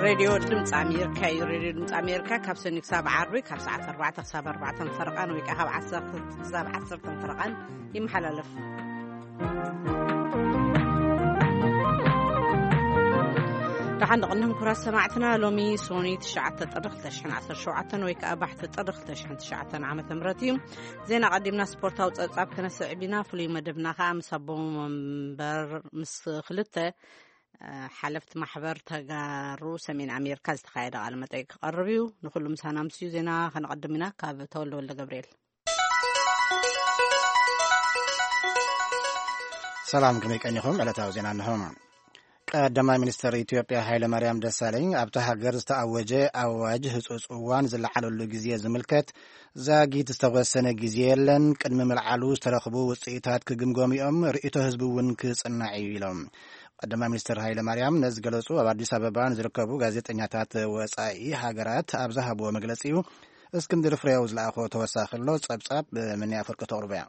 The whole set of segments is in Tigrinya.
ሬድዮ ድምፂ ኣሜሪካ እዩ። ሬድዮ ድምፂ ኣሜሪካ ካብ ሰኒ ክሳብ ዓርቢ ካብ ሰዓት ኣርባዕተ ክሳብ ኣርባዕተ ፈረቓን ወይ ከዓ ካብ ዓሰርተ ክሳብ ዓሰርተ ፈረቓን ይመሓላለፍ። ደሓን ደቕንኩም ክቡራት ሰማዕትና፣ ሎሚ ሶኒ ትሽዓተ ጥሪ ክልተ ሽሕን ዓሰርተ ሸውዓተን ወይ ከዓ ባሕቲ ጥሪ ክልተ ሽሕን ትሽዓተን ዓመተ ምህረት እዩ። ዜና ቀዲምና ስፖርታዊ ጸብጻብ ክነስዕብ ኢና። ፍሉይ መደብና ከዓ ምስ ኣቦ መንበር ምስ ክልተ ሓለፍቲ ማሕበር ተጋሩ ሰሜን ኣሜሪካ ዝተኻየደ ቃለ መጠይቅ ክቐርብ እዩ። ንኩሉ ምሳና ምስዩ ዜና ከነቐድም ኢና። ካብ ተወልደ ወልደ ገብርኤል። ሰላም፣ ከመይ ቀኒኹም? ዕለታዊ ዜና እንሆ። ቀዳማይ ሚኒስትር ኢትዮጵያ ሃይለ ማርያም ደሳለኝ ኣብታ ሃገር ዝተኣወጀ ኣዋጅ ህጹጽ እዋን ዝለዓለሉ ግዜ ዝምልከት ዛጊት ዝተወሰነ ግዜ የለን፣ ቅድሚ ምልዓሉ ዝተረኽቡ ውጽኢታት ክግምገሙ እዮም፣ ርእይቶ ህዝቢ እውን ክጽናዕ እዩ ኢሎም። ቀዳማይ ሚኒስትር ሃይለ ማርያም ነዚ ገለጹ ኣብ ኣዲስ ኣበባ ንዝርከቡ ጋዜጠኛታት ወጻኢ ሃገራት ኣብ ዝሃብዎ መግለጺ እዩ። እስክንድር ፍሬው ዝለኣኾ ተወሳኺ ኣሎ፣ ጸብጻብ ምንያ ፍርቂ ተቕርቦ እያ።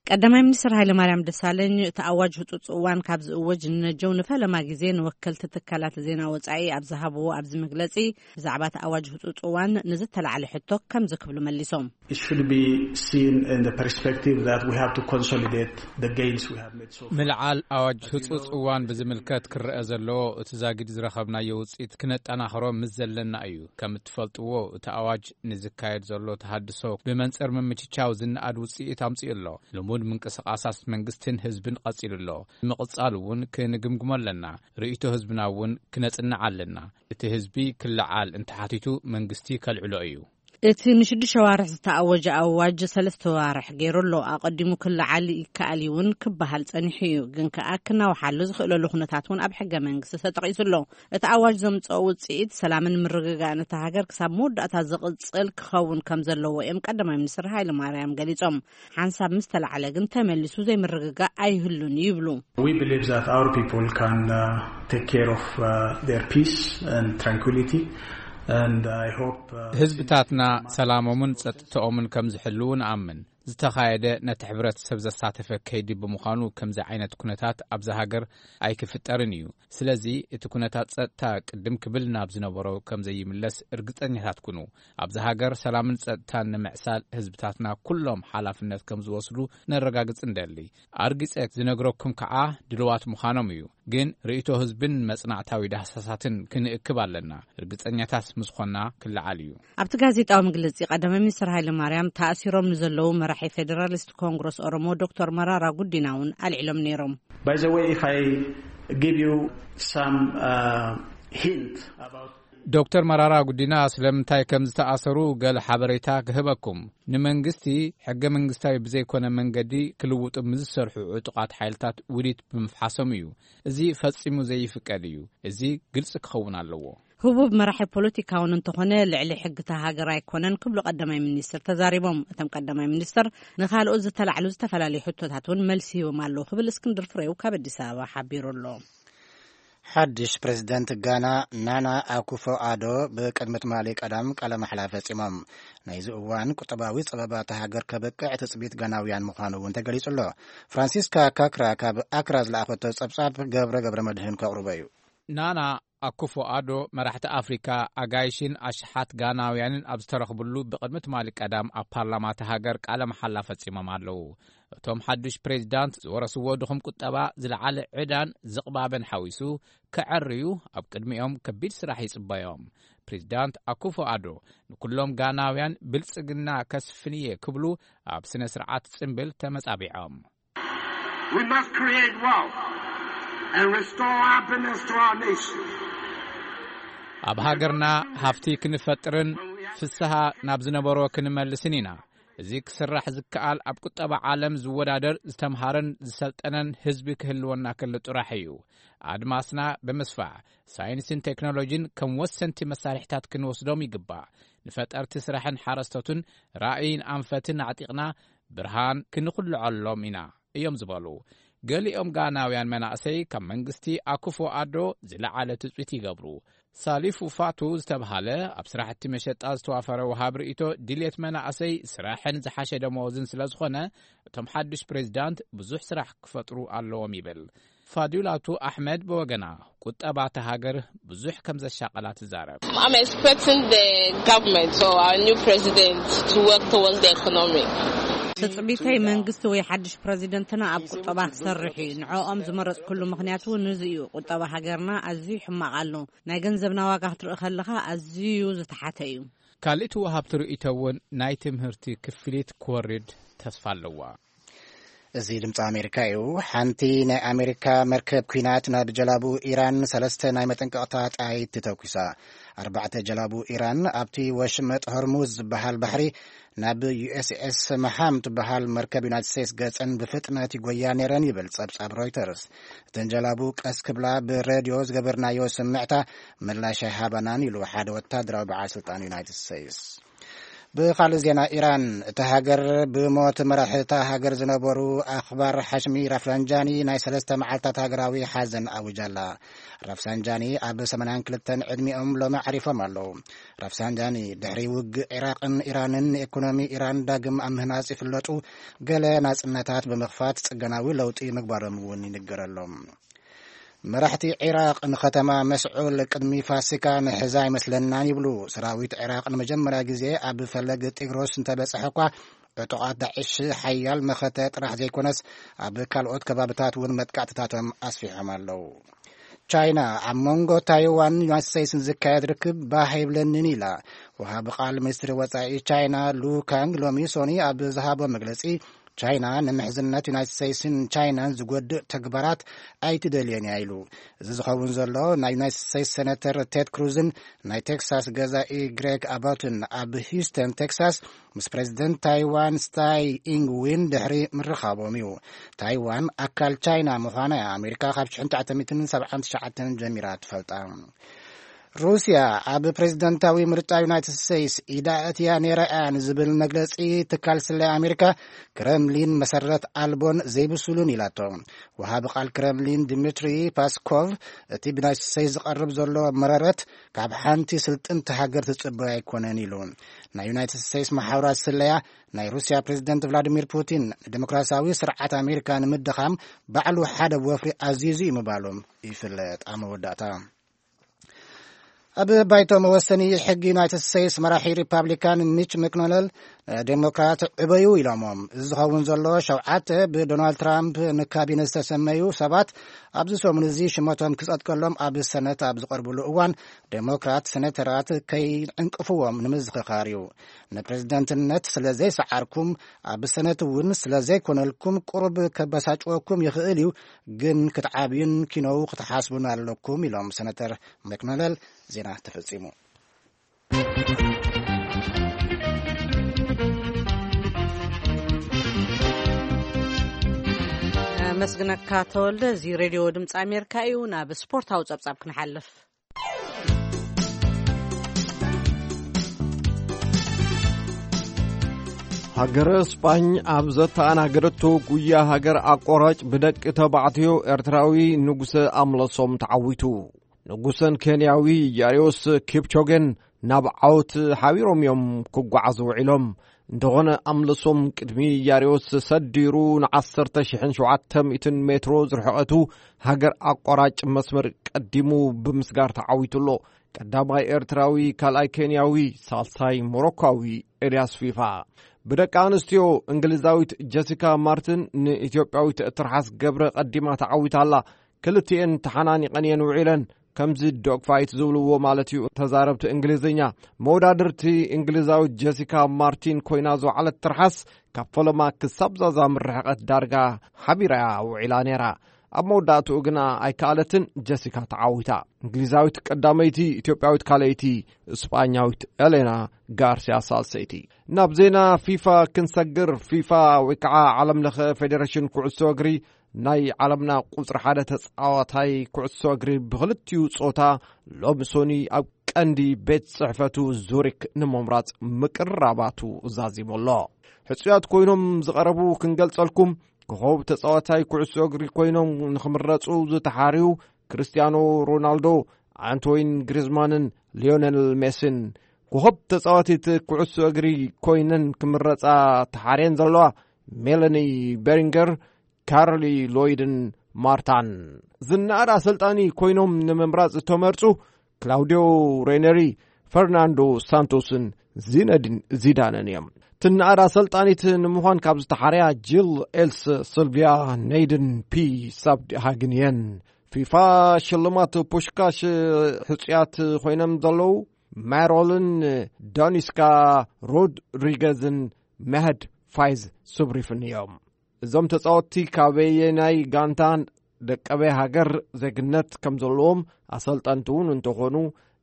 ቀዳማይ ሚኒስትር ሃይለ ማርያም ደሳለኝ እቲ ኣዋጅ ህጹጽ እዋን ካብ ዝእወጅ ንነጀው ንፈለማ ግዜ ንወከልቲ ትካላት ዜና ወጻኢ ኣብ ዝሃብዎ ኣብዚ መግለጺ ብዛዕባ እቲ ኣዋጅ ህጹጽ እዋን ንዝተላዕለ ሕቶ ከምዚ ክብሉ መሊሶም። It should be seen in the perspective that we have to consolidate the gains we have made so far. ምልዓል ኣዋጅ ህጹጽ እዋን ብዝምልከት ክረአ ዘለዎ እቲ ዛጊድ ዝረኸብናዮ ውጽኢት ክነጠናኽሮ ምስ ዘለና እዩ። ከም እትፈልጥዎ እቲ ኣዋጅ ንዝካየድ ዘሎ ተሃድሶ ብመንጽር ምምችቻው ዝነኣድ ውጽኢት ኣምጺኡ ኣሎ። ልሙድ ምንቅስቓሳት መንግስትን ህዝብን ቀጺሉ ኣሎ። ንምቕጻል እውን ክንግምግሞ ኣለና። ርእይቶ ህዝብና እውን ክነጽንዕ ኣለና። እቲ ህዝቢ ክለዓል እንተሓቲቱ መንግስቲ ከልዕሎ እዩ። እቲ ንሽዱሽተ ዋርሕ ዝተኣወጀ ኣዋጅ ሰለስተ ዋርሕ ገይሩ ኣሎ። ኣቐዲሙ ክለዓል ይከኣል እውን ክበሃል ጸኒሑ እዩ፣ ግን ከኣ ክናውሓሉ ዝኽእለሉ ኩነታት እውን ኣብ ሕገ መንግስቲ ተጠቒሱ ኣሎ። እቲ ኣዋጅ ዘምጽኦ ውጽኢት ሰላምን ምርግጋእን እታ ሃገር ክሳብ መወዳእታ ዝቕጽል ክኸውን ከም ዘለዎ እዮም ቀዳማይ ሚኒስትር ሃይለ ማርያም ገሊጾም። ሓንሳብ ምስ ተላዕለ ግን ተመሊሱ ዘይምርግጋእ ኣይህሉን ይብሉ። We believe that our people can uh, take care of uh, their peace and tranquility, and I hope uh, ህዝብታትና ሰላሞምን ጸጥታኦምን ከም ዝሕልዉ ንኣምን። ዝተኻየደ ነቲ ሕብረተሰብ ዘሳተፈ ከይዲ ብምዃኑ ከምዚ ዓይነት ኩነታት ኣብዛ ሃገር ኣይክፍጠርን እዩ። ስለዚ እቲ ኩነታት ጸጥታ ቅድም ክብል ናብ ዝነበሮ ከም ዘይምለስ እርግጸኛታት ኩኑ። ኣብዛ ሃገር ሰላምን ጸጥታን ንምዕሳል ህዝብታትና ኩሎም ሓላፍነት ከም ዝወስዱ ነረጋግጽ እንደሊ። ኣርጊጸ ዝነግረኩም ከኣ ድልዋት ምዃኖም እዩ። ግን ርእይቶ ህዝብን መጽናዕታዊ ዳህሳሳትን ክንእክብ ኣለና። እርግጸኛታት ምስ ኾና ክለዓል እዩ። ኣብቲ ጋዜጣዊ መግለጺ ቀዳማይ ሚኒስትር ሃይለ ማርያም ተኣሲሮም ንዘለዉ መራሒ ፌዴራሊስት ኮንግረስ ኦሮሞ ዶክተር መራራ ጉዲና እውን ኣልዒሎም ነይሮም። By the way, if I give you some uh, hint about ዶክተር መራራ ጉዲና ስለምንታይ ከም ዝተኣሰሩ ገለ ሓበሬታ ክህበኩም። ንመንግስቲ ሕገ መንግስታዊ ብዘይኮነ መንገዲ ክልውጡ ምስ ዝሰርሑ ዕጡቓት ሓይልታት ውዲት ብምፍሓሶም እዩ። እዚ ፈጺሙ ዘይፍቀድ እዩ። እዚ ግልጺ ክኸውን ኣለዎ። ህቡብ መራሒ ፖለቲካውን እንተኾነ ልዕሊ ሕግታ ሃገር ኣይኮነን ክብሉ ቀዳማይ ሚኒስትር ተዛሪቦም። እቶም ቀዳማይ ሚኒስትር ንኻልኦት ዝተላዕሉ ዝተፈላለዩ ሕቶታት እውን መልሲ ሂቦም ኣለዉ ክብል እስክንድር ፍሬው ካብ ኣዲስ ኣበባ ሓቢሩ ኣሎ። ሓድሽ ፕሬዝደንት ጋና ናና ኣኩፎ ኣዶ ብቅድሚ ትማሊ ቀዳም ቃለ ማሕላ ፈጺሞም። ናይዚ እዋን ቁጠባዊ ጸበባ እታ ሃገር ከብቅዕ ትጽቢት ጋናውያን ምዃኑ እውን ተገሊጹ ኣሎ። ፍራንሲስካ ካክራ ካብ ኣክራ ዝለኣኸቶ ጸብጻብ ገብረ ገብረ መድህን ከቕርቦ እዩ። ናና ኣኩፎ ኣዶ መራሕቲ ኣፍሪካ ኣጋይሽን ኣሽሓት ጋናውያንን ኣብ ዝተረኽብሉ ብቅድሚ ትማሊ ቀዳም ኣብ ፓርላማ እታ ሃገር ቃለ መሓላ ፈጺሞም ኣለዉ። እቶም ሓዱሽ ፕሬዚዳንት ዝወረስዎ ድኹም ቁጠባ ዝለዓለ ዕዳን ዝቕባበን ሓዊሱ ከዐርዩ ኣብ ቅድሚኦም ከቢድ ስራሕ ይጽበዮም። ፕሬዚዳንት ኣኩፎ ኣዶ ንኩሎም ጋናውያን ብልጽግና ከስፍንየ ክብሉ ኣብ ስነ ስርዓት ጽምብል ተመጻቢዖም። We must create wealth and restore happiness to our nation. ኣብ ሃገርና ሃፍቲ ክንፈጥርን ፍስሃ ናብ ዝነበሮ ክንመልስን ኢና። እዚ ክስራሕ ዝከኣል ኣብ ቁጠባ ዓለም ዝወዳደር ዝተምሃረን ዝሰልጠነን ህዝቢ ክህልወና ከሎ ጥራሕ እዩ። ኣድማስና ብምስፋሕ ሳይንስን ቴክኖሎጂን ከም ወሰንቲ መሳርሕታት ክንወስዶም ይግባእ። ንፈጠርቲ ስራሕን ሓረስቶትን ራእይን ኣንፈትን ኣዕጢቕና ብርሃን ክንኹልዐሎም ኢና እዮም ዝበሉ። ገሊኦም ጋናውያን መናእሰይ ካብ መንግስቲ ኣኩፎ ኣዶ ዝለዓለ ትጽቢት ይገብሩ። ሳሊፉ ፋቱ ዝተብሃለ ኣብ ስራሕቲ መሸጣ ዝተዋፈረ ወሃብ ርእይቶ ድልየት መናእሰይ ስራሕን ዝሓሸ ደመወዝን ስለ ዝኾነ እቶም ሓዱሽ ፕሬዚዳንት ብዙሕ ስራሕ ክፈጥሩ ኣለዎም ይብል። ፋዲላቱ ኣሕመድ ብወገና፣ ቁጠባ እታ ሃገር ብዙሕ ከም ዘሻቐላ ትዛረብ። I'm expecting the government or our new president to work towards the economy. ትጽቢተይ መንግስቲ ወይ ሓድሽ ፕረዚደንትና ኣብ ቁጠባ ክሰርሕ እዩ። ንዕኦም ዝመረጽኩሉ ምኽንያት እውን እዚ እዩ። ቁጠባ ሃገርና ኣዝዩ ሕማቕ ኣሎ። ናይ ገንዘብና ዋጋ ክትርኢ ከለኻ ኣዝዩ ዝተሓተ እዩ። ካልእቲ ወሃብቲ ርእይቶ እውን ናይ ትምህርቲ ክፍሊት ክወርድ ተስፋ ኣለዋ። እዚ ድምፂ ኣሜሪካ እዩ። ሓንቲ ናይ ኣሜሪካ መርከብ ኲናት ናብ ጀላቡ ኢራን ሰለስተ ናይ መጠንቀቕታ ጣይት ተተኩሳ። ኣርባዕተ ጀላቡ ኢራን ኣብቲ ወሽመጥ ሆርሙዝ ዝበሃል ባሕሪ ናብ ዩኤስኤስ መሃም ትበሃል መርከብ ዩናይትድ ስቴትስ ገጸን ብፍጥነት ይጎያ ነይረን ይብል ጸብጻብ ሮይተርስ። እተን ጀላቡ ቀስ ክብላ ብሬድዮ ዝገበርናዮ ስምዕታ ምላሽ ኣይሃባናን ኢሉ ሓደ ወታደራዊ በዓል ስልጣን ዩናይትድ ስቴትስ። ብኻልእ ዜና ኢራን፣ እታ ሃገር ብሞት መራሒ እታ ሃገር ዝነበሩ ኣኽባር ሓሽሚ ራፍላንጃኒ ናይ ሰለስተ መዓልታት ሃገራዊ ሓዘን ኣዊጃ ኣላ። ራፍሳንጃኒ ኣብ ሰማንያን ክልተን ዕድሚኦም ሎሚ ዓሪፎም ኣለዉ። ራፍሳንጃኒ ድሕሪ ውግእ ዒራቕን ኢራንን ንኤኮኖሚ ኢራን ዳግም ኣብ ምህናጽ ይፍለጡ። ገለ ናጽነታት ብምኽፋት ጽገናዊ ለውጢ ምግባሮም እውን ይንገረሎም። መራሕቲ ዒራቕ ንኸተማ መስዑል ቅድሚ ፋሲካ ንሕዛ ኣይመስለናን ይብሉ። ሰራዊት ዒራቕ ንመጀመርያ ግዜ ኣብ ፈለግ ጢግሮስ እንተበጽሐ እኳ ዕጡቓት ዳዕሽ ሓያል መኸተ ጥራሕ ዘይኮነስ ኣብ ካልኦት ከባብታት እውን መጥቃዕትታቶም ኣስፊሖም ኣለዉ። ቻይና ኣብ መንጎ ታይዋን ዩናይትድ ስቴትስን ዝካየድ ርክብ ባህ ኣይብለንን ኢላ። ወሃቢ ቃል ሚኒስትሪ ወጻኢ ቻይና ሉ ካንግ ሎሚ ሶኒ ኣብ ዝሃቦ መግለጺ ቻይና ንምሕዝነት ዩናይትድ ስቴትስን ቻይናን ዝጎድእ ተግባራት ኣይትደልየን እያ ኢሉ። እዚ ዝኸውን ዘሎ ናይ ዩናይትድ ስቴትስ ሴነተር ቴድ ክሩዝን ናይ ቴክሳስ ገዛኢ ግሬግ ኣባትን ኣብ ሂውስተን ቴክሳስ ምስ ፕሬዚደንት ታይዋን ስታይ ኢንግ ዊን ድሕሪ ምርኻቦም እዩ። ታይዋን ኣካል ቻይና ምዃና እያ ኣሜሪካ ካብ ሽሕን ትሽዓተ ሚእትን ሰብዓን ትሽዓተን ጀሚራ ትፈልጣ። ሩስያ ኣብ ፕሬዚደንታዊ ምርጫ ዩናይትድ ስቴትስ ኢዳ እትያ ነይራ እያ ንዝብል መግለጺ ትካል ስለያ ኣሜሪካ፣ ክረምሊን መሰረት ኣልቦን ዘይብሱሉን ኢላቶ። ወሃቢ ቃል ክረምሊን ድሚትሪ ፓስኮቭ፣ እቲ ብዩናይትድ ስቴትስ ዝቐርብ ዘሎ መረረት ካብ ሓንቲ ስልጥንቲ ሃገር ትጽበዮ ኣይኮነን ኢሉ። ናይ ዩናይትድ ስቴትስ መሓውራት ስለያ፣ ናይ ሩስያ ፕሬዚደንት ቭላዲሚር ፑቲን ንዲሞክራሲያዊ ስርዓት ኣሜሪካ ንምድኻም ባዕሉ ሓደ ወፍሪ ኣዚዙ እዩ ምባሎም ይፍለጥ። ኣብ መወዳእታ፣ ኣብ ባይቶ መወሰኒ ሕጊ ዩናይትድ ስቴትስ መራሒ ሪፓብሊካን ሚች መክኖነል ንዴሞክራት ዕበዩ ኢሎሞም። እዚ ዝኸውን ዘሎ ሸውዓተ ብዶናልድ ትራምፕ ንካቢነ ዝተሰመዩ ሰባት ኣብዚ ሰሙን እዚ ሽመቶም ክጸድቀሎም ኣብ ሰነት ኣብ ዝቐርብሉ እዋን፣ ዴሞክራት ሴኔተራት ከይዕንቅፍዎም ንምዝኽኻር እዩ። ንፕሬዝደንትነት ስለ ዘይሰዓርኩም፣ ኣብ ሰነት እውን ስለ ዘይኮነልኩም ቁሩብ ከበሳጭወኩም ይኽእል እዩ፣ ግን ክትዓብዩን ኪኖው ክትሓስቡን ኣለኩም ኢሎም ሰነተር መክኖነል። ዜና ተፈጺሙ። መስግነካ ተወልደ። እዚ ሬድዮ ድምፂ ኣሜሪካ እዩ። ናብ ስፖርታዊ ፀብፃብ ክንሓልፍ። ሃገረ ስጳኝ ኣብ ዘተኣናገደቶ ጉያ ሃገር ኣቋራጭ ብደቂ ተባዕትዮ ኤርትራዊ ንጉሰ ኣምለሶም ተዓዊቱ። ንጉሰን ኬንያዊ ያሪዮስ ኪፕቾገን ናብ ዓወት ሓቢሮም እዮም ክጓዓዙ ውዒሎም። እንተኾነ ኣምለሶም ቅድሚ ያሪዮስ ሰዲሩ ንዓሰርተ ሽሕን ሸውዓተ ሚእትን ሜትሮ ዝርሕቐቱ ሃገር ኣቋራጭ መስመር ቀዲሙ ብምስጋር ተዓዊቱ ኣሎ። ቀዳማይ ኤርትራዊ፣ ካልኣይ ኬንያዊ፣ ሳልሳይ ሞሮኳዊ ኤልያስ ፊፋ። ብደቂ ኣንስትዮ እንግሊዛዊት ጀሲካ ማርትን ንኢትዮጵያዊት ትርሓስ ገብረ ቀዲማ ተዓዊታ ኣላ። ክልቲኤን ተሓናኒቐን እየን ውዒለን። ከምዚ ዶግ ፋይት ዝብልዎ ማለት እዩ ተዛረብቲ እንግሊዝኛ። መወዳድርቲ እንግሊዛዊት ጀሲካ ማርቲን ኮይና ዝወዓለት ትርሓስ ካብ ፈለማ ክሳብ ዛዛም ርሕቐት ዳርጋ ሓቢራ እያ ውዒላ ነይራ። ኣብ መወዳእትኡ ግና ኣይከኣለትን፣ ጀሲካ ተዓዊታ። እንግሊዛዊት ቀዳመይቲ፣ ኢትዮጵያዊት ካልኣይቲ፣ እስጳኛዊት ኤሌና ጋርሲያ ሳልሰይቲ። ናብ ዜና ፊፋ ክንሰግር፣ ፊፋ ወይ ከዓ ዓለም ለኸ ፌዴሬሽን ኩዕሶ እግሪ ናይ ዓለምና ቁጽሪ ሓደ ተጻዋታይ ኩዕሶ እግሪ ብኽልቲኡ ጾታ ሎሚ ሶኒ ኣብ ቀንዲ ቤት ጽሕፈቱ ዙሪክ ንምምራጽ ምቅርራባቱ ዛዚሙ ኣሎ። ሕጹያት ኮይኖም ዝቐረቡ ክንገልጸልኩም፣ ኮኸብ ተጻዋታይ ኩዕሶ እግሪ ኮይኖም ንኽምረጹ ዝተሓርዩ ክርስቲያኖ ሮናልዶ፣ ኣንቶይን ግሪዝማንን ሊዮኔል ሜሲን። ኮኸብ ተጻዋቲት ኩዕሶ እግሪ ኮይነን ክምረጻ ተሓርየን ዘለዋ ሜለኒ ቤሪንገር፣ ካርሊ ሎይድን ማርታን። ዝነኣድ ኣሰልጣኒ ኮይኖም ንምምራጽ ዝተመርጹ ክላውዲዮ ሬነሪ፣ ፈርናንዶ ሳንቶስን ዚነዲን ዚዳንን እዮም። ትነኣድ ኣሰልጣኒት ንምዃን ካብ ዝተሓርያ ጂል ኤልስ፣ ስልቪያ ኔይድን ፒ ሳብድ ሃግን እየን። ፊፋ ሽልማት ፑሽካሽ ሕጹያት ኮይኖም ዘለዉ ማሮልን ዶኒስካ ሮድሪገዝን መህድ ፋይዝ ሱብሪፍን እዮም። እዞም ተጻወትቲ ካበየናይ ጋንታ ደቀበይ ሃገር ዜግነት ከም ዘለዎም ኣሰልጠንቲ እውን እንተኾኑ፣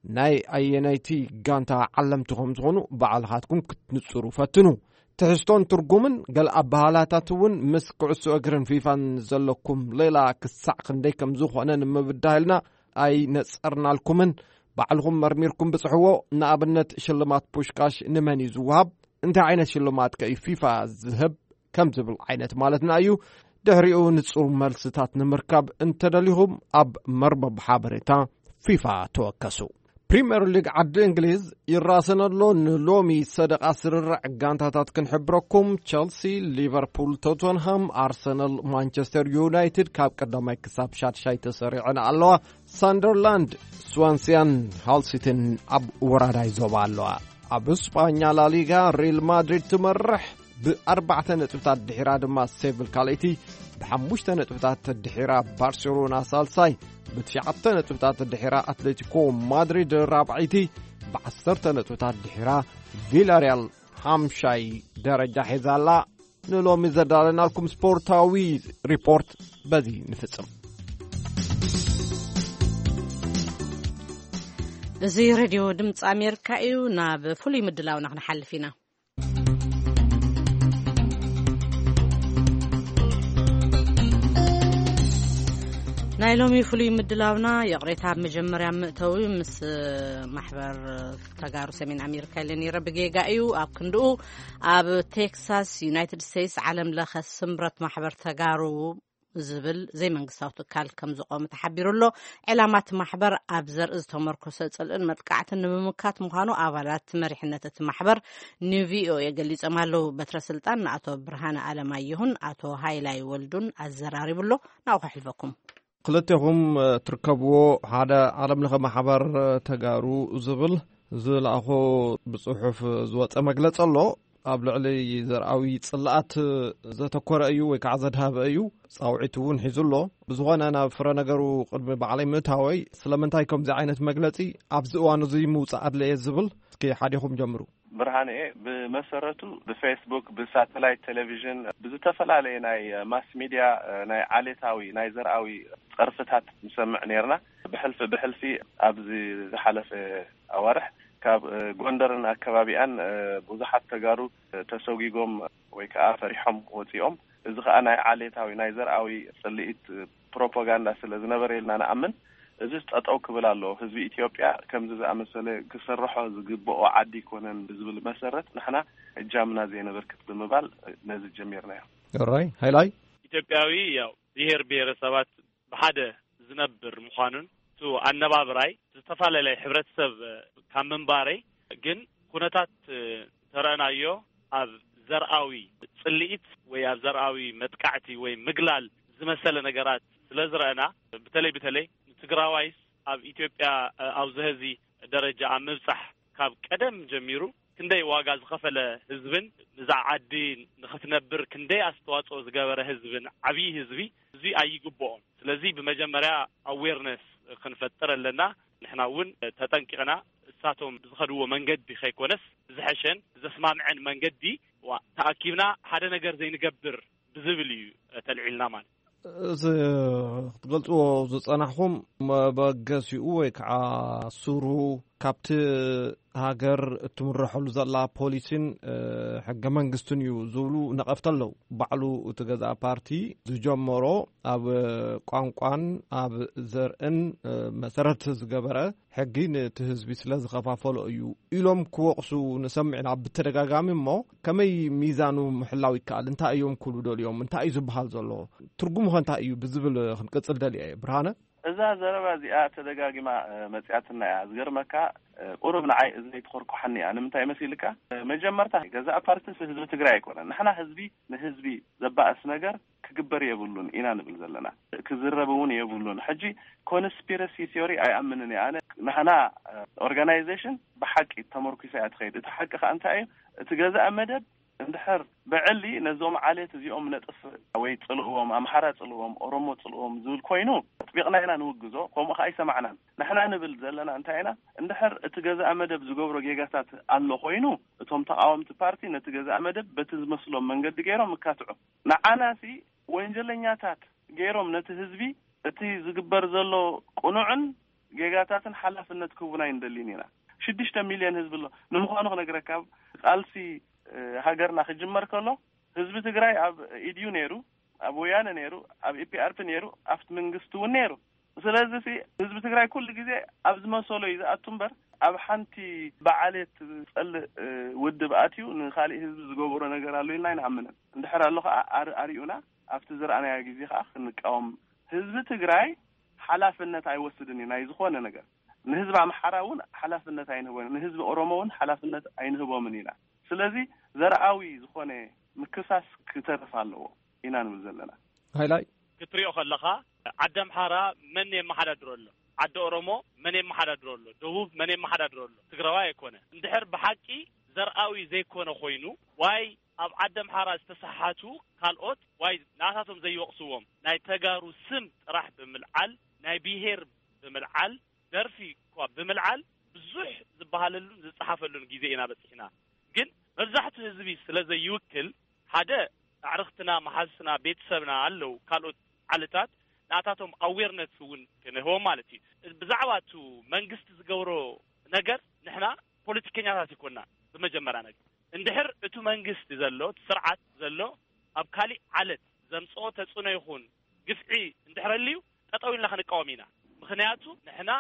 ናይ ኣየናይቲ ጋንታ ዓለምቲ ከም ዝኾኑ ባዕልኻትኩም ክትንጽሩ ፈትኑ። ትሕዝቶን ትርጉምን ገለ ኣበሃላታት እውን ምስ ኩዕሶ እግርን ፊፋን ዘለኩም ሌላ ክሳዕ ክንደይ ከም ዝኾነ ንምብዳህልና ኣይነጸርናልኩምን። ባዕልኹም መርሚርኩም ብጽሕዎ። ንኣብነት ሽልማት ፑሽካሽ ንመን እዩ ዝወሃብ? እንታይ ዓይነት ሽልማት ከ እዩ ፊፋ ዝህብ? ከም ዝብል ዓይነት ማለትና እዩ። ድሕሪኡ ንጹር መልስታት ንምርካብ እንተደሊኹም ኣብ መርበብ ሓበሬታ ፊፋ ተወከሱ። ፕሪምየር ሊግ ዓዲ እንግሊዝ ይራሰን ኣሎ። ንሎሚ ሰደቓ ስርርዕ ጋንታታት ክንሕብረኩም፣ ቸልሲ፣ ሊቨርፑል፣ ቶተንሃም፣ ኣርሰናል፣ ማንቸስተር ዩናይትድ ካብ ቀዳማይ ክሳብ ሻድሻይ ተሰሪዐን ኣለዋ። ሳንደርላንድ፣ ስዋንሲያን ሃልሲትን ኣብ ወራዳይ ዞባ ኣለዋ። ኣብ ስጳኛ ላሊጋ ሪል ማድሪድ ትመርሕ ብኣርባዕተ ነጥብታት ድሒራ ድማ ሴቪል ካልኣይቲ፣ ብሓሙሽተ ነጥብታት ድሒራ ባርሴሎና ሳልሳይ፣ ብትሽዓተ ነጥብታት ድሒራ ኣትሌቲኮ ማድሪድ ራብዓይቲ፣ ብዓሰርተ ነጥብታት ድሒራ ቪላሪያል ሓምሻይ ደረጃ ሒዛ ኣላ። ንሎሚ ዘዳለናልኩም ስፖርታዊ ሪፖርት በዚ ንፍጽም። እዚ ሬድዮ ድምፂ ኣሜሪካ እዩ። ናብ ፍሉይ ምድላውና ክንሓልፍ ኢና። ናይ ሎሚ ፍሉይ ምድላውና፣ ይቕሬታ፣ ኣብ መጀመርያ ምእተዊ ምስ ማሕበር ተጋሩ ሰሜን ኣሜሪካ ኢለ ነይረ፣ ብጌጋ እዩ። ኣብ ክንድኡ ኣብ ቴክሳስ ዩናይትድ ስቴትስ ዓለም ለኸ ስምረት ማሕበር ተጋሩ ዝብል ዘይመንግስታዊ ትካል ከም ዝቆመ ተሓቢሩ ኣሎ። ዕላማ እቲ ማሕበር ኣብ ዘርኢ ዝተመርኮሰ ጽልእን መጥቃዕትን ንምምካት ምዃኑ ኣባላት መሪሕነት እቲ ማሕበር ንቪኦኤ ገሊጾም ኣለዉ። በትረ ስልጣን ንኣቶ ብርሃነ ኣለማየሁን ኣቶ ሃይላይ ወልዱን ኣዘራሪቡ ኣሎ። ናብኡ ከሕልፈኩም። ክልቴኹም፣ እ፣ ትርከብዎ ሓደ ዓለም ለኸ ማሕበር፣ እ፣ ተጋሩ ዝብል ዝለኣኾ ብጽሑፍ ዝወጸ መግለጺ ኣሎ። ኣብ ልዕሊ ዘርኣዊ ጽልኣት ዘተኮረ እዩ ወይ ከዓ ዘድሃበ እዩ። ጻውዒት እውን ሒዙ ኣሎ። ብዝኾነ፣ ናብ ፍረ ነገሩ ቅድሚ ባዕለይ ምእታወይ፣ ስለምንታይ ከምዚ ዓይነት መግለጺ ኣብዚ እዋን እዚ ምውጻእ ኣድለየ ዝብል፣ እስኪ ሓዲኹም ጀምሩ። ብርሃንኤ፣ ብመሰረቱ ብፌስቡክ፣ ብሳተላይት ቴሌቪዥን፣ ብዝተፈላለየ ናይ ማስ ሚድያ፣ ናይ ዓሌታዊ፣ ናይ ዘርኣዊ ጸርፍታት ንሰምዕ ነይርና። ብሕልፊ ብሕልፊ ኣብዚ ዝሓለፈ ኣዋርሕ ካብ፣ እ፣ ጎንደርን ኣከባቢኣን፣ እ፣ ብዙሓት ተጋሩ፣ እ፣ ተሰጒጎም ወይ ከዓ ፈሪሖም ወፂኦም። እዚ ከዓ ናይ ዓሌታዊ፣ ናይ ዘርኣዊ ፅልኢት፣ እ፣ ፕሮፓጋንዳ ስለ ዝነበረ ኢልና ንኣምን። እዚ ጠጠው ክብል ኣለዎ። ህዝቢ ኢትዮጵያ ከምዚ ዝኣመሰለ ክሰርሖ ዝግብኦ ዓዲ ኣይኮነን ብዝብል መሰረት ንሕና እጃምና ዘየነበርክት ብምባል፣ እ፣ ነዚ ጀሚርናዮ። ራይ ሃይላይ። ኢትዮጵያዊ ያው ብሔር ብሔረሰባት ብሓደ ዝነብር ምዃኑን፣ እቲ ኣነባብራይ ዝተፈላለየ ሕብረተሰብ ካብ ምንባረይ ግን ኩነታት ተረእናዮ ኣብ ዘርኣዊ ጽልኢት ወይ ኣብ ዘርኣዊ መጥቃዕቲ ወይ ምግላል ዝመሰለ ነገራት ስለ ዝረእና፣ በተለይ በተለይ ንትግራዋይስ ኣብ ኢትዮጵያ ኣብዚ ሀዚ ደረጃ ኣብ ምብጻሕ ካብ ቀደም ጀሚሩ ክንደይ ዋጋ ዝኸፈለ ህዝብን ንዛ ዓዲ ንኽትነብር ክንደይ ኣስተዋጽኦ ዝገበረ ህዝብን ዓብዪ ህዝቢ እዚ ኣይግብኦም። ስለዚ ብመጀመርያ ኣዌርነስ ክንፈጥር ኣለና። ንሕና እውን ተጠንቂቕና እሳቶም ብዝኸድዎ መንገዲ ከይኮነስ ብዝሐሸን ብዘስማምዐን መንገዲ ዋ ተኣኪብና ሓደ ነገር ዘይንገብር ብዝብል እዩ ተልዒልና ማለት። እዚ ክትገልጽዎ ዝጸናሕኹም መበገሲኡ ወይ ከዓ ሱሩ ካብቲ ሃገር እትምረሐሉ ዘላ ፖሊሲን፣ እ፣ ሕገ መንግስትን እዩ ዝብሉ ነቐፍቲ ኣለዉ። ባዕሉ እቲ ገዛእ ፓርቲ ዝጀመሮ ኣብ ቋንቋን ኣብ ዘርእን፣ እ፣ መሰረት ዝገበረ ሕጊ ነቲ ህዝቢ ስለ ዝኸፋፈሎ እዩ ኢሎም ክወቕሱ ንሰምዕ ኢና ብተደጋጋሚ። እሞ ከመይ ሚዛኑ ምሕላው ይከኣል? እንታይ እዮም ክብሉ ደልዮም? እንታይ እዩ ዝበሃል ዘሎ? ትርጉሙ ኸ እንታይ እዩ ብዝብል ክንቅጽል ደልየ እየ። ብርሃነ? እዛ ዘረባ እዚኣ ተደጋጊማ መፅያትና እያ። ዝገርመካ ቁሩብ ንዓይ እዝነይ ትኾርኩሓኒ እያ። ንምንታይ መሲልካ? መጀመርታ ገዛእ ፓርቲስ ህዝቢ ትግራይ ኣይኮነን። ንሕና ህዝቢ ንህዝቢ ዘባእስ ነገር ክግበር የብሉን ኢና ንብል ዘለና። ክዝረብ እውን የብሉን። ሕጂ ኮንስፒረሲ ቲዮሪ ኣይኣምንን እየ ኣነ። ንሕና ኦርጋናይዜሽን ብሓቂ ተመርኩሳ እያ ትኸይድ። እቲ ሓቂ ከኣ እንታይ እዩ? እቲ ገዛእ መደብ እንድሕር ብዕሊ ነዞም ዓሌት እዚኦም ነጥፍ ወይ ጽልእዎም ኣምሓራ ጽልእዎም ኦሮሞ ጽልእዎም ዝብል ኮይኑ ኣጥቢቕና ኢና ንውግዞ። ከምኡ ከኣ ኣይሰማዕናን። ንሕና ንብል ዘለና እንታይ ኢና? እንድሕር እቲ ገዛእ መደብ ዝገብሮ ጌጋታት ኣሎ ኮይኑ እቶም ተቃወምቲ ፓርቲ ነቲ ገዛእ መደብ በቲ ዝመስሎም መንገዲ ገይሮም ይካትዑ። ንዓናሲ ወንጀለኛታት ገይሮም ነቲ ህዝቢ እቲ ዝግበር ዘሎ ቅኑዕን ጌጋታትን ሓላፍነት ክህቡና ኣይንደልን ኢና። ሽዱሽተ ሚልዮን ህዝቢ ኣሎ። ንምዃኑ ክነግረካ ቃልሲ ሃገርና ክጅመር ከሎ ህዝቢ ትግራይ ኣብ ኢድዩ ነይሩ፣ ኣብ ወያነ ነይሩ፣ ኣብ ኢፒኣርፒ ነይሩ፣ ኣብቲ መንግስቲ እውን ነይሩ። ስለዚ ህዝቢ ትግራይ ኩሉ ግዜ ኣብ ዝመሰሎ እዩ ዝኣቱ እምበር ኣብ ሓንቲ ብዓሌት ዝፀልእ ውድብ ኣትዩ ንካሊእ ህዝቢ ዝገበሮ ነገር ኣሎ ኢልና ኣይንኣምንን። እንድሕር ኣሎ ከዓ ኣርዩና ኣብቲ ዝረኣናዮ ግዜ ከዓ ክንቃወም። ህዝቢ ትግራይ ሓላፍነት ኣይወስድን እዩ ናይ ዝኾነ ነገር። ንህዝቢ ኣምሓራ እውን ሓላፍነት ኣይንህቦን፣ ንህዝቢ ኦሮሞ እውን ሓላፍነት ኣይንህቦምን ኢና። ስለዚ ዘርኣዊ ዝኾነ ምክሳስ ክተርፍ ኣለዎ ኢና ንብል ዘለና። ሃይላይ ክትሪኦ ከለኻ ዓዲ ኣምሓራ መን የመሓዳድሮ ኣሎ? ዓዲ ኦሮሞ መን የመሓዳድሮ ኣሎ? ደቡብ መን የመሓዳድሮ ኣሎ? ትግራዋይ ኣይኮነ። እንድሕር ብሓቂ ዘርኣዊ ዘይኮነ ኮይኑ ዋይ ኣብ ዓዲ ኣምሓራ ዝተሰሓቱ ካልኦት ዋይ ንኣታቶም ዘይወቕስዎም ናይ ተጋሩ ስም ጥራሕ ብምልዓል ናይ ብሄር ብምልዓል ደርፊ እኳ ብምልዓል ብዙሕ ዝበሃለሉን ዝፀሓፈሉን ግዜ ኢና በፂሕና። ግን መብዛሕትኡ ህዝቢ ስለ ዘይውክል ሓደ ኣዕርኽትና፣ መሓዝትና፣ ቤተሰብና ኣለዉ ካልኦት ዓለታት ንኣታቶም ኣዌርነት እውን ክንህቦም ማለት እዩ። ብዛዕባ እቱ መንግስቲ ዝገብሮ ነገር ንሕና ፖለቲከኛታት ይኮና ብመጀመርያ ነገር እንድሕር እቱ መንግስቲ ዘሎ እቲ ስርዓት ዘሎ ኣብ ካሊእ ዓለት ዘምፅኦ ተፅዕኖ ይኹን ግፍዒ እንድሕር ኣልዩ ጠጠው ኢልና ክንቃወም ኢና። ምክንያቱ ንሕና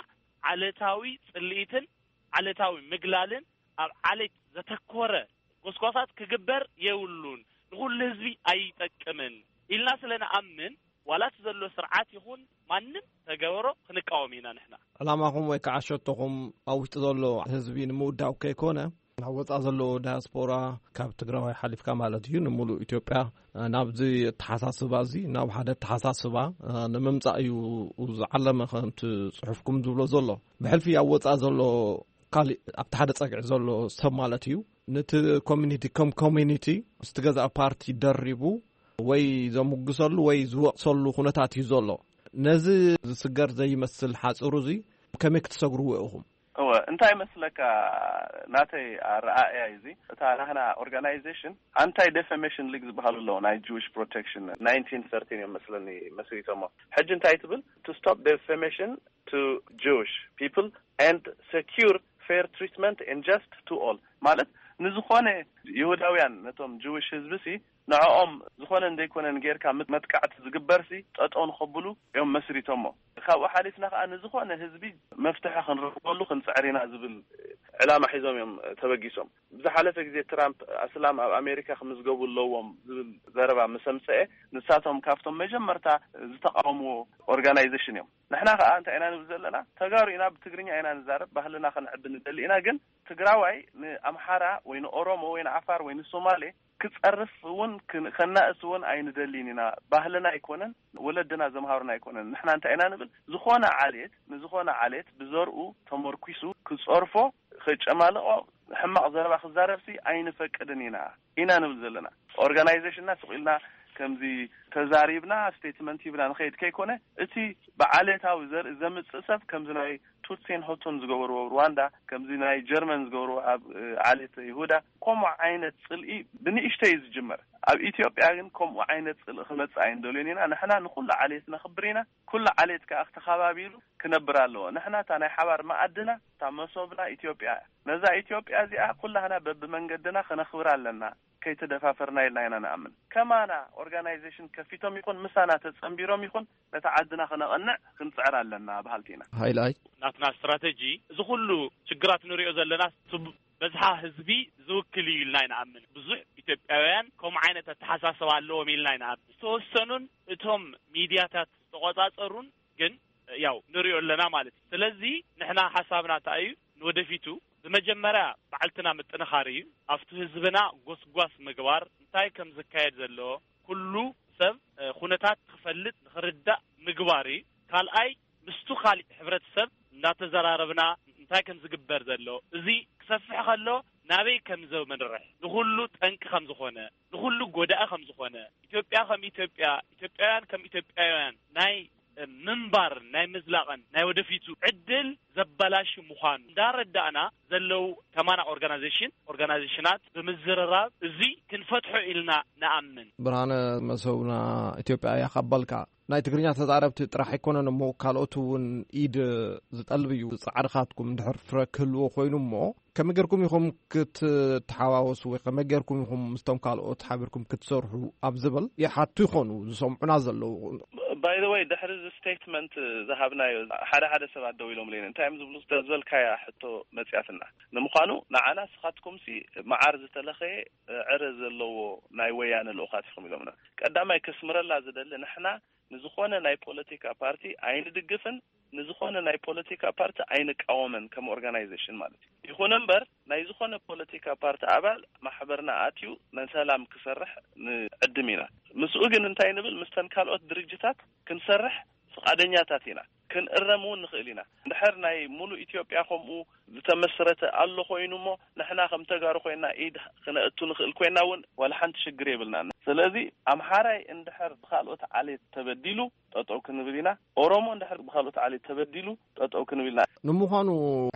ዓለታዊ ፅልኢትን ዓለታዊ ምግላልን ኣብ ዓሌት ዘተኮረ ጎስጓሳት ክግበር የብሉን፣ ንኹሉ ህዝቢ ኣይጠቅምን ኢልና ስለ ንኣምን ዋላ እቲ ዘሎ ስርዓት ይኹን ማንም ተገበሮ ክንቃወም ኢና ንሕና። ዕላማኹም ወይ ከዓ ሸቶኹም ኣብ ውሽጢ ዘሎ ህዝቢ ንምውዳው ከይኮነ ናብ ወፃእ ዘሎ ዳያስፖራ ካብ ትግራዋይ ሓሊፍካ ማለት እዩ ንምሉእ ኢትዮጵያ ናብዚ ኣተሓሳስባ እዚ ናብ ሓደ ኣተሓሳስባ ንምምፃእ እዩ ዝዓለመ ከምቲ ፅሑፍኩም ዝብሎ ዘሎ። ብሕልፊ ኣብ ወፃእ ዘሎ ካሊእ ኣብቲ ሓደ ፀግዒ ዘሎ ሰብ ማለት እዩ ነቲ ኮሚኒቲ ከም ኮሚኒቲ ምስቲ ገዛእ ፓርቲ ደሪቡ ወይ ዘምጉሰሉ ወይ ዝወቅሰሉ ኩነታት እዩ ዘሎ። ነዚ ዝስገር ዘይመስል ሓፅሩ እዚ ከመይ ክትሰግርዎ ኢኹም? እወ እንታይ መስለካ ናተይ ኣረኣእያ እዚ እታ ናህና ኦርጋናይዜሽን ኣንታይ ዴፈሜሽን ሊግ ዝበሃሉ ኣለዉ ናይ ጅዊሽ ፕሮቴክሽን ናይንቲን ሰርቲን እዮም መስለኒ መስሪቶሞ። ሕጂ እንታይ ትብል? To stop defamation to Jewish people and secure fair treatment and just to all ማለት ንዝኾነ ይሁዳውያን ነቶም ጅዊሽ ህዝቢ ሲ ንዕኦም ዝኾነን ዘይኮነን ጌርካ መጥቃዕቲ ዝግበርሲ ጠጠው ንኸብሉ እዮም መስሪቶሞ። ካብኡ ሓሊፍና ከዓ ንዝኾነ ህዝቢ መፍትሒ ክንረኽበሉ ክንፅዕር ኢና ዝብል ዕላማ ሒዞም እዮም ተበጊሶም። ብዝሓለፈ ግዜ ትራምፕ ኣስላም ኣብ ኣሜሪካ ክምዝገቡ ኣለዎም ዝብል ዘረባ ምስ ኣምፀአ ንሳቶም ካብቶም መጀመርታ ዝተቃወምዎ ኦርጋናይዜሽን እዮም። ንሕና ከዓ እንታይ ኢና ንብል ዘለና? ተጋሩ ኢና፣ ብትግርኛ ኢና ንዛረብ፣ ባህልና ክንዕቢ ንደሊ ኢና። ግን ትግራዋይ ንኣምሓራ ወይ ንኦሮሞ ወይ ንዓፋር ወይ ንሶማሌ ክፀርፍ እውን ከናእስ እውን ኣይንደሊን ኢና። ባህልና ኣይኮነን፣ ወለድና ዘምሃሩና ኣይኮነን። ንሕና እንታይ ኢና ንብል? ዝኾነ ዓሌት ንዝኾነ ዓሌት ብዘርኡ ተመርኲሱ ክፀርፎ፣ ከጨማልቆ፣ ሕማቕ ዘረባ ክዛረብሲ ኣይንፈቅድን ኢና ኢና ንብል ዘለና። ኦርጋናይዜሽንና ስቕ ኢልና ከምዚ ተዛሪብና ስቴትመንት ሂብና ንኸይድ ከይኮነ እቲ ብዓሌታዊ ዘርኢ ዘምፅእ ሰብ ከምዚ ናይ ቱትሲን ሆቶን ዝገበርዎ ኣብ ሩዋንዳ ከምዚ ናይ ጀርመን ዝገበርዎ ኣብ ዓሌት ይሁዳ ከምኡ ዓይነት ፅልኢ ብንእሽተይ እዩ ዝጅመር። ኣብ ኢትዮጵያ ግን ከምኡ ዓይነት ፅልኢ ክመፅእ ኣይንደልዮን ኢና። ንሕና ንኩሉ ዓሌት ነኽብር ኢና። ኩሉ ዓሌት ከዓ ክተኸባቢሩ ክነብር ኣለዎ። ንሕና እታ ናይ ሓባር መኣድና እታ መሶብና ኢትዮጵያ እያ። ነዛ ኢትዮጵያ እዚኣ ኩላህና በብመንገድና ክነኽብር ኣለና። ከይተደፋፈርና ኢልና ኢና ንኣምን። ከማና ኦርጋናይዜሽን ከፊቶም ይኹን ምሳና ተጸንቢሮም ይኹን ነታ ዓድና ክነቐንዕ ክንጽዕር ኣለና በሃልቲ ኢና። ሃይላይ ናትና ስትራተጂ እዚ ኩሉ ችግራት ንሪኦ ዘለና ስብ በዝሓ ህዝቢ ዝውክል እዩ ኢልና ኣይንኣምን። ብዙሕ ኢትዮጵያውያን ከምኡ ዓይነት ኣተሓሳስባ ኣለዎም ኢልና ኣይንኣምን። ዝተወሰኑን እቶም ሚድያታት ዝተቆጻጸሩን ግን ያው ንሪኦ ኣለና ማለት እዩ። ስለዚ ንሕና ሓሳብና እንታይ እዩ? ንወደፊቱ ብመጀመርያ ባዕልትና ምጥንኻር እዩ። ኣብቲ ህዝብና ጎስጓስ ምግባር፣ እንታይ ከም ዝካየድ ዘሎ ኩሉ ሰብ ኩነታት ክፈልጥ ንክርዳእ ምግባር እዩ። ካልኣይ ምስቱ ካሊእ ሕብረተሰብ እናተዘራረብና እንታይ ከም ዝግበር ዘሎ እዚ ክሰፍሕ ከሎ ናበይ ከም ዘምርሕ ንኩሉ ጠንቂ ከም ዝኾነ ንኩሉ ጎዳኢ ከም ዝኾነ ኢትዮጵያ ከም ኢትዮጵያ ኢትዮጵያውያን ከም ኢትዮጵያውያን ናይ ምንባር ናይ ምዝላቕን ናይ ወደፊቱ ዕድል ዘበላሽ ምዃኑ እንዳረዳእና ዘለው ከማና ኦርጋናይዜሽን ኦርጋናይዜሽናት ብምዝርራብ እዚ ክንፈትሖ ኢልና ንኣምን። ብርሃነ መሰብና ኢትዮጵያ እያ ካባልካ ናይ ትግርኛ ተዛረብቲ ጥራሕ ኣይኮነን እሞ ካልኦት እውን ኢድ ዝጠልብ እዩ። ፃዕርኻትኩም እንድሕር ፍረ ክህልዎ ኮይኑ እሞ ከመይ ጌርኩም ኢኹም ክትተሓዋወሱ ወይ ከመይ ጌርኩም ኢኹም ምስቶም ካልኦት ሓቢርኩም ክትሰርሑ ኣብ ዝብል ይሓቱ ይኾኑ ዝሰምዑና ዘለዉ። ባይ ዘ ወይ ድሕሪ እዚ ስቴትመንት ዝሃብናዮ ሓደ ሓደ ሰባት ደው ኢሎም ለይነ እንታይ እዮም ዝብሉ ዝበልካያ ሕቶ መፅያትና። ንምዃኑ ንዓና ስኻትኩም ሲ መዓር ዝተለኸየ ዕረ ዘለዎ ናይ ወያነ ልኡኻት ኢኹም ኢሎምና። ቀዳማይ ከስምረላ ዝደሊ ንሕና ንዝኾነ ናይ ፖለቲካ ፓርቲ ኣይንድግፍን ንዝኾነ ናይ ፖለቲካ ፓርቲ ኣይንቃወምን ከም ኦርጋናይዜሽን ማለት እዩ። ይኹን እምበር ናይ ዝኾነ ፖለቲካ ፓርቲ ኣባል ማሕበርና ኣትዩ ንሰላም ክሰርሕ ንዕድም ኢና። ምስኡ ግን እንታይ ንብል? ምስተን ካልኦት ድርጅታት ክንሰርሕ ፍቓደኛታት ኢና። ክንእረም እውን ንኽእል ኢና። እንድሕር ናይ ሙሉእ ኢትዮጵያ ከምኡ ዝተመስረተ ኣሎ ኮይኑ እሞ ንሕና ከም ተጋሩ ኮይና ኢድ ክነእቱ ንኽእል ኮይና እውን ዋላ ሓንቲ ሽግር የብልናን። ስለዚ ኣምሓራይ እንድሕር ብካልኦት ዓሌት ተበዲሉ ጠጠው ክንብል ኢና። ኦሮሞ እንድሕር ብካልኦት ዓሌት ተበዲሉ ጠጠው ክንብል ኢና። ንምዃኑ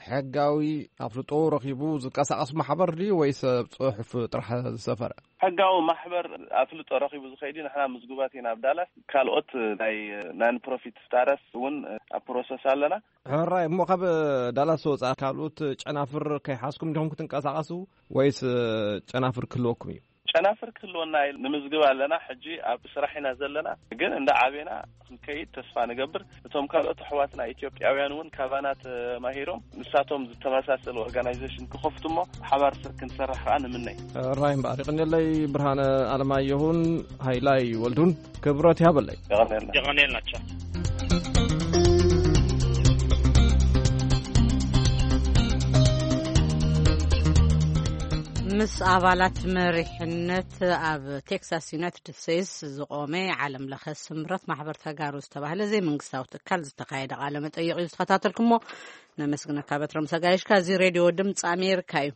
ሕጋዊ ኣፍልጦ ረኺቡ ዝንቀሳቐስ ማሕበር ድዩ ወይስ ኣብ ጽሑፍ ጥራሕ ዝሰፈረ? ሕጋዊ ማሕበር ኣፍልጦ ረኺቡ ዝኸይድ እዩ። ንሕና ምዝጉባት ኢና ኣብ ዳላስ። ካልኦት ናይ ናን ፕሮፊት ስታተስ እውን ኣብ ፕሮሰስ ኣለና። ሕራይ እሞ ካብ ዳላስ ወፃእ ካልኦት ጨናፍር ከይሓዝኩም ዲኹም ክትንቀሳቐሱ ወይስ ጨናፍር ክህልወኩም እዩ? ጨናፍር ክህልወና ንምዝግብ ኣለና። ሕጂ ኣብ ስራሕ ኢና ዘለና፣ ግን እንዳ ዓቤና ክንከይድ ተስፋ ንገብር። እቶም ካልኦት ኣሕዋትና ኢትዮጵያውያን እውን ካባና ተማሂሮም ንሳቶም ዝተመሳሰለ ኦርጋናይዜሽን ክኸፍቱ እሞ ሓባር ስር ክንሰርሕ ከዓ ንምነይ። ራይ እምበኣር ይቕንየለይ። ብርሃነ ኣለማየሁን ሃይላይ ወልዱን ክብረት ይሃበለይ። የቐንየልና። የቐንየልና። ቻው። ምስ ኣባላት መሪሕነት ኣብ ቴክሳስ ዩናይትድ ስቴትስ ዝቖመ ዓለም ለኸ ስምረት ማሕበር ተጋሩ ዝተባህለ ዘይመንግስታዊ ትካል ዝተኻየደ ቃለ መጠይቕ እዩ ዝተኸታተልኩሞ። ነመስግነካ በትሮም ሰጋይሽካ። እዚ ሬድዮ ድምፂ ኣሜሪካ እዩ።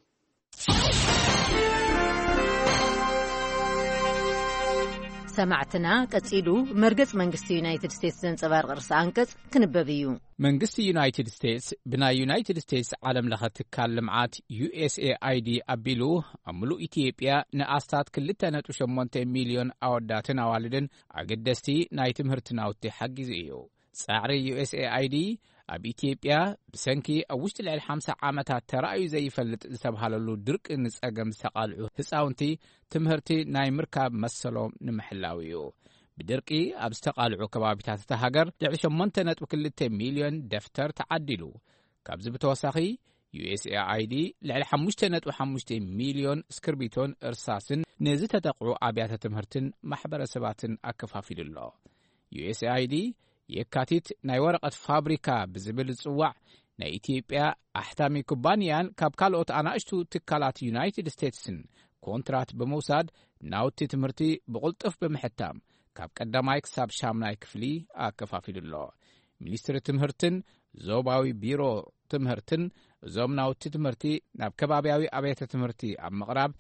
ሰማዕትና ቀጺሉ መርገጽ መንግስቲ ዩናይትድ ስቴትስ ዘንጸባርቕ ርእሲ ኣንቀጽ ክንበብ እዩ። መንግስቲ ዩናይትድ ስቴትስ ብናይ ዩናይትድ ስቴትስ ዓለም ለኸ ትካል ልምዓት ዩ ኤስ ኤ ኣይ ዲ ኣቢሉ ኣብ ምሉእ ኢትዮጵያ ንኣስታት ክልተ ነጥቢ ሸሞንተ ሚልዮን ኣወዳትን ኣዋልድን ኣገደስቲ ናይ ትምህርቲ ናውቲ ሓጊዙ እዩ። ጻዕሪ ዩ ኤስ ኤ ኣይ ዲ ኣብ ኢትዮጵያ ብሰንኪ ኣብ ውሽጢ ልዕሊ ሓምሳ ዓመታት ተራእዩ ዘይፈልጥ ዝተባህለሉ ድርቂ ንጸገም ዝተቓልዑ ህጻውንቲ ትምህርቲ ናይ ምርካብ መሰሎም ንምሕላው እዩ። ብድርቂ ኣብ ዝተቓልዑ ከባቢታት እታ ሃገር ልዕሊ ሸሞንተ ነጥቢ ክልተ ሚልዮን ደፍተር ተዓዲሉ። ካብዚ ብተወሳኺ ዩ ኤስ ኤ ኣይ ዲ ልዕሊ ሓሙሽተ ነጥቢ ሓሙሽተ ሚልዮን እስክርቢቶን እርሳስን ንዝተጠቕዑ ኣብያተ ትምህርትን ማሕበረሰባትን ኣከፋፊሉ ኣሎ። ዩ ኤስ ኤ ኣይ ዲ የካቲት ናይ ወረቐት ፋብሪካ ብዝብል ዝጽዋዕ ናይ ኢትዮጵያ ኣሕታሚ ኩባንያን ካብ ካልኦት ኣናእሽቱ ትካላት ዩናይትድ ስቴትስን ኮንትራት ብምውሳድ ናውቲ ትምህርቲ ብቕልጡፍ ብምሕታም ካብ ቀዳማይ ክሳብ ሻምናይ ክፍሊ ኣከፋፊሉ ኣሎ። ሚኒስትሪ ትምህርትን ዞባዊ ቢሮ ትምህርትን እዞም ናውቲ ትምህርቲ ናብ ከባብያዊ ኣብያተ ትምህርቲ ኣብ ምቕራብ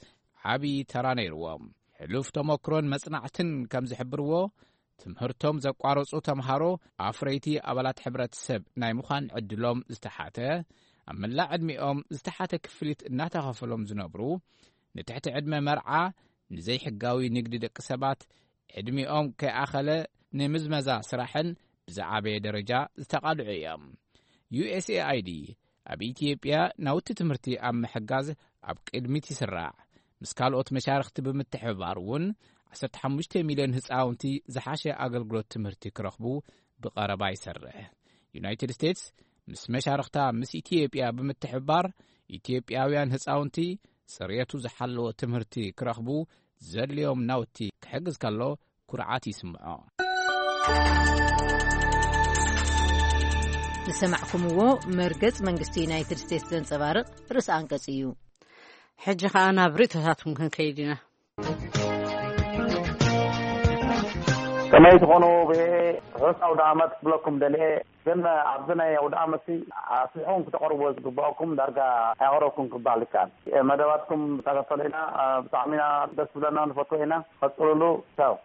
ዓብዪ ተራ ነይርዎም። ሕሉፍ ተመክሮን መጽናዕትን ከም ዝሕብርዎ ትምህርቶም ዘቋረጹ ተምሃሮ ኣፍረይቲ ኣባላት ሕብረተሰብ ናይ ምዃን ዕድሎም ዝተሓተ፣ ኣብ መላእ ዕድሚኦም ዝተሓተ ክፍሊት እናተኸፈሎም ዝነብሩ፣ ንትሕቲ ዕድመ መርዓ፣ ንዘይሕጋዊ ንግዲ ደቂ ሰባት፣ ዕድሚኦም ከይኣኸለ ንምዝመዛ ስራሕን ብዝዓበየ ደረጃ ዝተቓልዑ እዮም። ዩ ኤስ ኤ ኣይ ዲ ኣብ ኢትዮጵያ ናውቲ ትምህርቲ ኣብ ምሕጋዝ ኣብ ቅድሚት ይስራዕ። ምስ ካልኦት መሻርኽቲ ብምትሕብባር እውን ዓሰርተ ሓሙሽተ ሚልዮን ህፃውንቲ ዝሓሸ ኣገልግሎት ትምህርቲ ክረኽቡ ብቐረባ ይሰርሕ። ዩናይትድ ስቴትስ ምስ መሻርኽታ ምስ ኢትዮጵያ ብምትሕብባር ኢትዮጵያውያን ህፃውንቲ ፅሬቱ ዝሓለወ ትምህርቲ ክረኽቡ ዘድልዮም ናውቲ ክሕግዝ ከሎ ኩርዓት ይስምዖ። ዝሰማዕኩምዎ መርገጽ መንግስቲ ዩናይትድ ስቴትስ ዘንጸባርቕ ርእሰ ኣንቀጽ እዩ። ሕጂ ኸኣ ናብ ርእይቶታትኩም ክንከይድ ኢና። ከመይ ትኾኑ? ብርሑስ ኣውደ ዓመት ክብለኩም ደልየ፣ ግን ኣብዚ ናይ ኣውደ ዓመት ኣስሊኹም ክተቕርብዎ ዝግባእኩም ዳርጋ ኣይቐረብኩም ክበሃል ይከኣል። መደባትኩም ተኸተሉ ኢና። ብጣዕሚ ኢና ደስ ዝብለና፣ ንፈትዎ ኢና። ቀጽሉሉ። ቻው።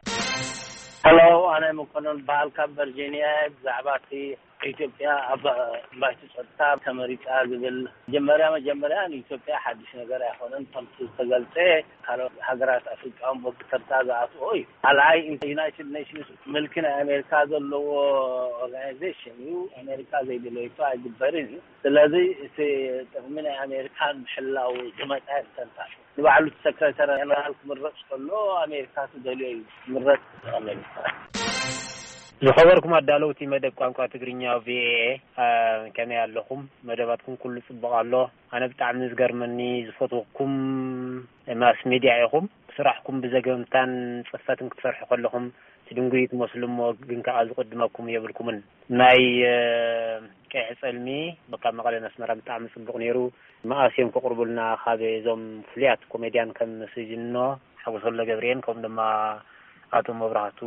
ሄሎ፣ ኣነ መኮነን በዓል ካብ ቨርጂኒያ። ብዛዕባ እቲ ኢትዮጵያ ኣብ ባይቶ ጸጥታ ተመሪጻ ዝብል፣ መጀመርያ መጀመርያ ንኢትዮጵያ ሓድሽ ነገር ኣይኮነን። ከምቲ ዝተገልጸ፣ ካልኦት ሃገራት ኣፍሪቃ እውን በዚ ተርታ ዝኣትዎ እዩ። ካልኣይ፣ ዩናይትድ ኔሽንስ ምልኪ ናይ ኣሜሪካ ዘለዎ ኦርጋናይዜሽን እዩ። ኣሜሪካ ዘይደለየቶ ኣይግበርን እዩ። ስለዚ እቲ ጥቕሚ ናይ ኣሜሪካ ንምሕላው ዝመጸ ኣይኮነን። ንባዕሉ እቲ ሰክረታሪ ጀነራል ክምረጽ ከሎ ኣሜሪካ ትደልዮ እዩ ዝምረጽ። ኣሜሪካ። ዝኸበርኩም ኣዳለውቲ መደብ ቋንቋ ትግርኛ ቪኦኤ፣ አ፣ ከመይ ኣለኹም? መደባትኩም ኩሉ ጽቡቕ ኣሎ። ኣነ ብጣዕሚ ዝገርመኒ ዝፈትወኩም ማስ ሚድያ ኢኹም። ስራሕኩም ብዘገምታን ጽፈትን ክትሰርሑ ከለኹም ትድንጉዩ ትመስሉ እሞ ግን ከኣ ዝቕድመኩም የብልኩምን። ናይ፣ እ፣ ቀይሕ ጸልሚ ካብ መቐለ ነስመራ ብጣዕሚ ጽቡቕ ነይሩ። መኣስ እዮም ከቕርቡልና ካብ እዞም ፍሉያት ኮሜድያን ከም ስጅኖ ሓጎስ ወልደገብርኤል ከምኡ ድማ ኣቶ መብራህቱ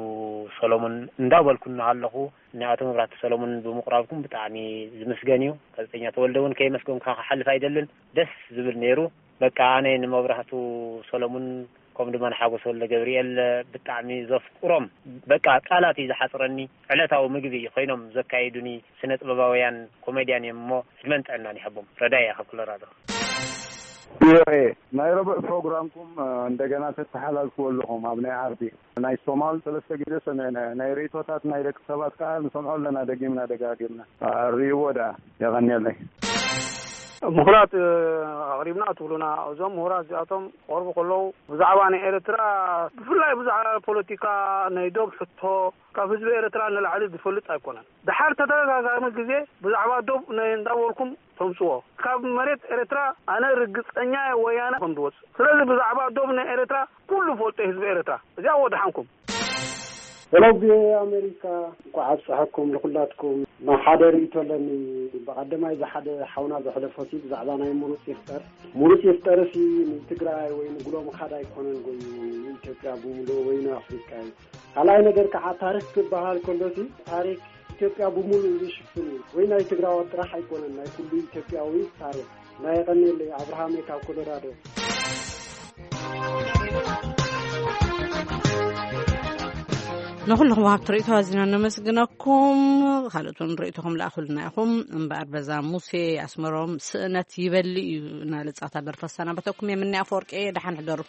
ሰሎሙን እንዳበልኩ እናሃለኹ ንኣቶ መብራህቱ ሰሎሙን ብምቕራብኩም ብጣዕሚ ዝምስገን እዩ። ጋዜጠኛ ተወልደ እውን ከየመስገንኩኻ ክሓልፍ ኣይደልን። ደስ ዝብል ነይሩ። በቃ ኣነ ንመብራህቱ ሰሎሙን ከምኡ ድማ ንሓጎስ ወልደገብርኤል ብጣዕሚ ዘፍቅሮም፣ በቃ ቃላት እዩ ዝሓፅረኒ። ዕለታዊ ምግቢ ኮይኖም ዘካይዱኒ ስነ ጥበባውያን ኮሜድያን እዮም እሞ ዕድመን ጥዕናን ይሃቦም። ረዳይ እያ ካብ ኮሎራዶ። ቪኦኤ ናይ ረቡዕ ፕሮግራምኩም፣ እ፣ እንደገና ተተሓላልፍዎ ኣለኹም ኣብ ናይ ዓርቢ። ናይ ሶማል ሰለስተ ግዜ ሰሚዕና፣ ናይ ርእይቶታት ናይ ደቂ ሰባት ከዓ ንሰምዖ ኣለና ደጊምና ደጋጊምና። አ፣ ርእይዎ ደኣ። የቐንየለይ። ምሁራት፣ እ፣ ኣቕሪብና ትብሉና። እዞም ምሁራት እዚኣቶም ክቐርቡ ከለዉ ብዛዕባ ናይ ኤርትራ፣ ብፍላይ ብዛዕባ ፖለቲካ ናይ ዶብ ሕቶ ካብ ህዝቢ ኤርትራ ንላዕሊ ዝፈልጥ ኣይኮነን። ደሓር ተደጋጋሚ ግዜ ብዛዕባ ዶብ ናይ እንዳበልኩም ተምጽዎ። ካብ መሬት ኤርትራ ኣነ ርግጸኛ እየ ወያነ ከም ዝወጽእ። ስለዚ ብዛዕባ ዶብ ናይ ኤርትራ ኩሉ ፈልጦ ህዝቢ ኤርትራ። እዚኣ ወድሓንኩም። ሄሎ ቪኦኤ ኣሜሪካ፣ እንኳዕ ኣብፀሐኩም ንኩላትኩም። ናይ ሓደ ርእይቶ ኣለኒ። ብቐደማይ እዚ ሓደ ሓውና ዘሕለፎ ሲ ብዛዕባ ናይ ምሩፅ ይፍጠር። ምሩፅ ይፍጠር ሲ ንትግራይ ወይ ንጉሎ ምኻድ ኣይኮነን ጎዩ፣ ንኢትዮጵያ ብምሉእ ወይ ንኣፍሪቃ እዩ። ካልኣይ ነገር ከዓ ታሪክ ክበሃል ከሎ ሲ ታሪክ ኢትዮጵያ ብምሉእ ዝሽፍን እዩ። ወይ ናይ ትግራዋት ጥራሕ ኣይኮነን፣ ናይ ኩሉ ኢትዮጵያዊ ታሪክ። ናይ የቐንየለይ ኣብርሃም ካብ ኮሎራዶ። ንኹልኹም ወሃብቲ ርእይቶ ኣዚና ነመስግነኩም። ካልኦት እውን ርእይቶኹም ለኣኹልና ኢኹም። እምበኣር በዛ ሙሴ ኣስመሮም ስእነት ይበሊ እዩ እናለ ጻታ ደርፈ ሰናበተኩም። የምኒ ኣፈወርቂ፣ ደሓን ሕደሩ።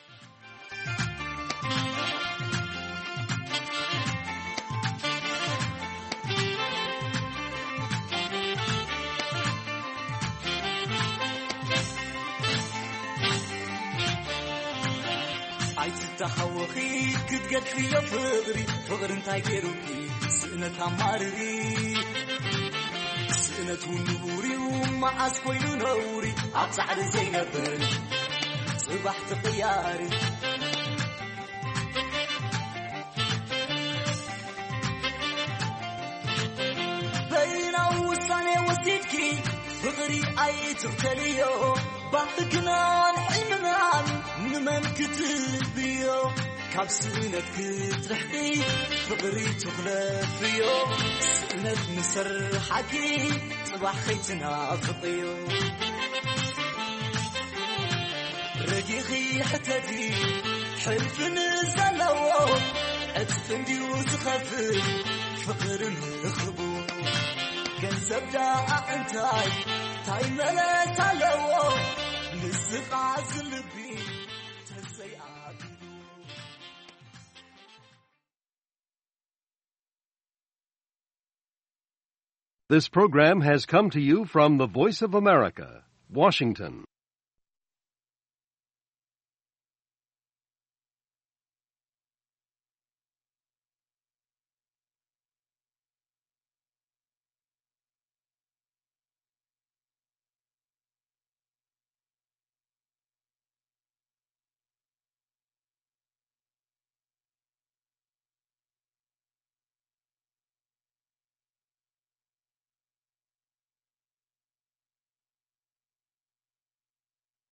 ኣይትታኸወኺ ክትገድፍዮ ፍቕሪ፣ ፍቕሪ እንታይ ገይሩኪ ስእነት ኣማርሪ። ስእነት እውን ንቡር እዩ መዓስ ኮይኑ ነውሪ፣ ኣብ ጻዕሪ ዘይነብር ጽባሕ ተቐያሪ። በይናዊ ውሳኔ ወሲድኪ ፍቕሪ ኣይትኽተልዮ፣ ባህግናን ሕልምናን ንመን ክትህብዮ? ካብ ስእነት ክትርሕቂ ፍቕሪ ትኽለፍዮ፣ ስእነት ንሰርሓኪ ጽባሕ ከይትናፍቕዮ። ረጊኺ ሕተቲ ሕልፊ ንዘለዎ፣ ዕጽፊ እንድዩ ዝኸፍል ፍቕሪ ንኽቡ። ገንዘብ ደኣ እንታይ ታይ መለስ ኣለዎ? ንስኻ ዝልቢ ተዘይኣቢሉ። This program has come to you from the Voice of America, Washington.